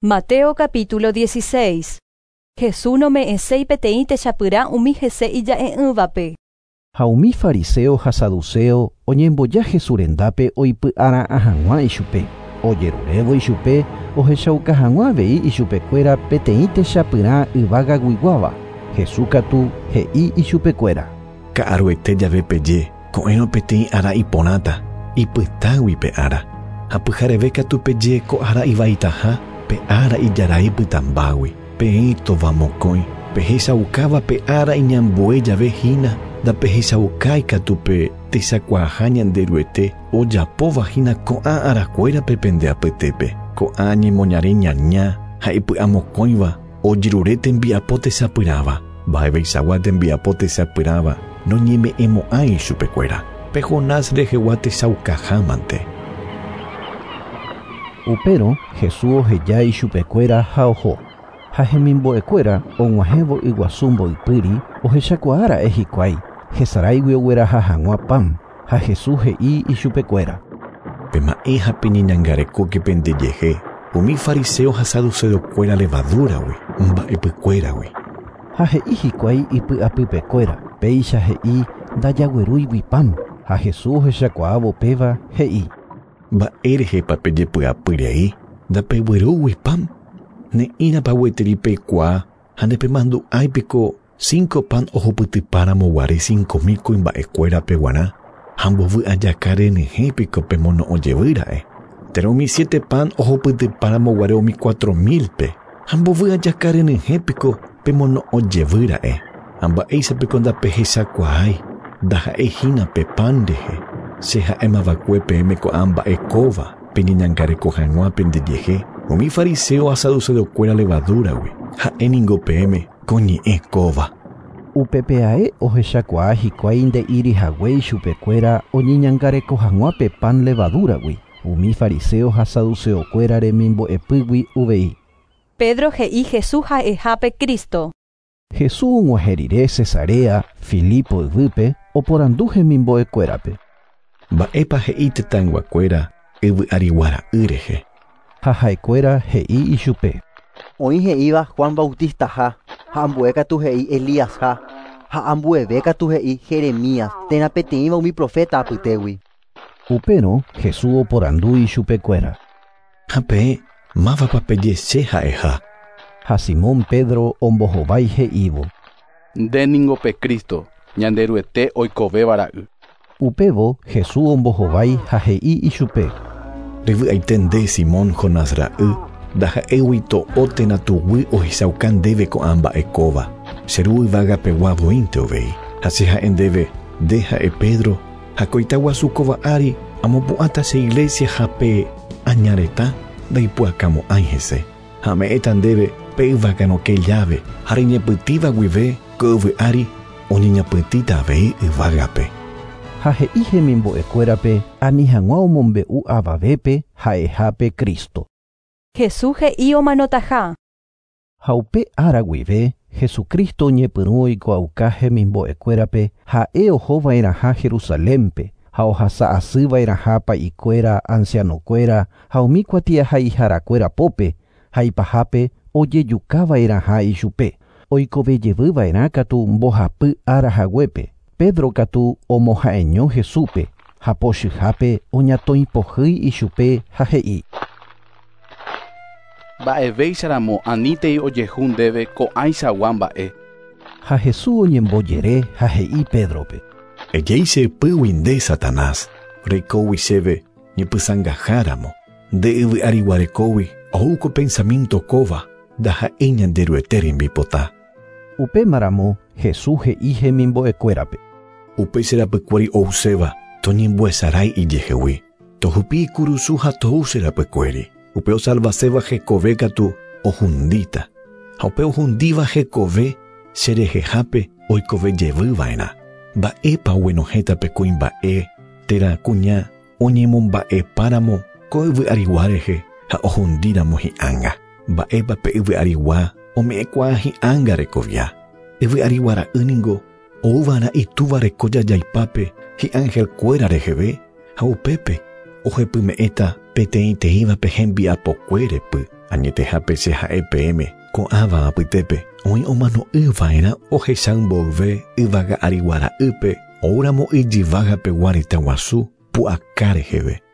Mateo capítulo 16. Jesús nome'ẽséi peteĩ techapyrã umi hese ija'e'ỹvape. Ha umi fariseo ha saduceo oñemboja Jesús rendápe oipy'ara'ã hag̃ua ichupe. Ojerurévo ichupe ohechauka hag̃ua avei ichupekuéra peteĩ techapyrã yvágaguiguáva. Jesús katu he'i ichupekuéra. Ka'aruete jave peje, ko'ẽrõ peteĩ ára iporãta, ipytãgui pe ára. Ha pyhareve katu peje ko ára ivaitaha, pe ára ijarai pytãmbágui. Peẽ tovamokõi, pehechaukáva pe ára iñambue jave hína, ndapehechaukái katu pe techakuaaha Ñanderuete ojapóva hína ko'ã arakuérape pende apytépe. Ko'ã ñemoñare ñaña ha ipy'amokõiva ojerure tembiapo techapyrãva. Mba'eveichagua tembiapo techapyrãva noñeme'ẽmo'ãi ichupekuéra. Pe Jonás rehegua techaukahámante. Upérõ Jesús oheja ichupekuéra ha oho. Ha hemimbo'ekuéra og̃uahẽvo yguasu mboypýri ohechakuaára'e hikuái hesaráigui ogueraha hag̃ua pan. Ha Jesús he'i ichupekuéra. Pema'ẽ ha peñeñangarekóke pendejehe umi fariseo ha saduceokuéra levadúragui, mba'epykuéragui. Ha he'i hikuái ipy'apypekuéra, péicha he'i ndajaguerúigui pan. Ha Jesús ohechakuaávo péva he'i. Mba'érehepa pejepy'apyrei ndapeguerúgui pan? Ne'ĩrapa gueteri peikuaa ha ndepemandu'áipiko 5 pan ohupytypáramo guare 5.000 kuimba'ekuérape g̃uarã ha mbovy'ajaka renyhẽpiko pemono'õjevýra'e. Térã umi 7 pan ohupytypáramo guare umi 4.000-pe ha mbovy'ajaka renyhẽpiko pemono'õjevýra'e. Ha mba'éichapiko ndapehechakuaái ndaha'ehína pe pan rehe. Che ha'émava'ekue peẽme ko'ã mba'e kóva peñeñangareko hag̃ua pendejehe umi fariseo ha saduceokuéra levadúragui. Ha'éningo peẽme ko ñe'ẽ kóva. Upepeae ohechakuaa hikuái nde'írihague ichupekuéra oñeñangareko hag̃ua pe pan levadúragui. Umi fariseo ha saduceokuéra remimbo'epýgui uvei. Pedro he'i Jesús ha'ehápe Cristo. Jesús og̃uahẽ rire Cesarea Filipo yvýpe oporandu hemimbo'ekuérape. Mba'épa he'i tetãyguakuéra yvy'ariguara'y rehe. Ha ha'ekuéra he'i ichupe. Oĩ he'íva Juan Bautistaha, ha ambue katu he'i Elíasha, ha ambueve katu he'i Jeremías, térã peteĩva umi profeta apytégui. Upérõ Jesús oporandu ichupekuéra. Ha peẽ mávapa peje che ha'eha. Ha Simón Pedro ombohovái he'ívo. Ndéningo pe Cristo, Ñanderuete oikovévara'y. Upévo Jesús ombohovái ha he'i ichupe. Revy'aite nde Simón Jonás ra'y, ndaha'éigui to'o térã tuguy ohechauka ndéve ko'ã mba'e kóva. Che ru yvágapegua voínte uvei. Ha che ha'e ndéve, nde ha'e Pedro, ha koita guasu kóva ári amopu'ãta che iglesia ha pe añaretã ndaipu'akamo'ãi hese. Ha ame'ẽta ndéve pe yváganoke llave ha reñepytĩva guive ko yvy ári oñeñapytĩta avei yvágape. Ha he'i hemimbo'ekuérape ani hag̃ua omombe'u avavépe ha'ehápe Cristo. Jesús he'i omanotaha. Ha upe ára guive Jesucristo oñepyrũ oikuaauka hemimbo'ekuérape ha'e ohova'erãha Jerusalénpe ha ohasa'asyva'erãha pa'ikuéra, ancianokuéra ha umi kuatiahaiharakuéra pópe ha ipahápe ojejukava'erãha ichupe. Oikovejevyva'erã katu mbohapy ára haguépe. Pedro katu omoha'eño Jesúspe ha pochyhápe oñatõipohýi ichupe ha he'i. Mba'evéicharamo anítei ojehu ndéve ko'ãichagua mba'e. Ha Jesús oñembojere ha he'i Pédrope. Ejei che ypýgui nde Satanás, reikógui chéve ñepysãngaháramo. Nde yvy'ariguarekógui ou ko pensamiento kóva ndaha'éi Ñanderuete rembipota. Upémaramo Jesús he'i hemimbo'ekuérape. Upe che rapykuéri ouséva toñembohesarái ijehegui. Tohupi ikurusu ha tou che rapykuéri. Upe osalvaséva hekove katu ohundíta. Ha upe ohundíva hekove cherehehápe oikovejevyva'erã. Mba'épa oguenohẽta pe kuimba'e térã kuña oñemomba'epáramo ko yvy'arigua rehe ha ohundíramo hi'ánga. Mba'épa pe yvy'arigua ome'ẽkuaa hi'ánga rekovia. Yvy'ariguara'y ningo ouva'erã itúva reko jajaipápe hi'angelkuéra reheve ha upépe ohepyme'ẽta peteĩteĩvape hembiapokue repy. Añetehápe che ha'e peẽme ko'ãva apytépe oĩ omano'ỹva'erã ohecha mboyve yvága arigua ra'ýpe oúramo ijyvágapegua retã guasu pu'aka reheve.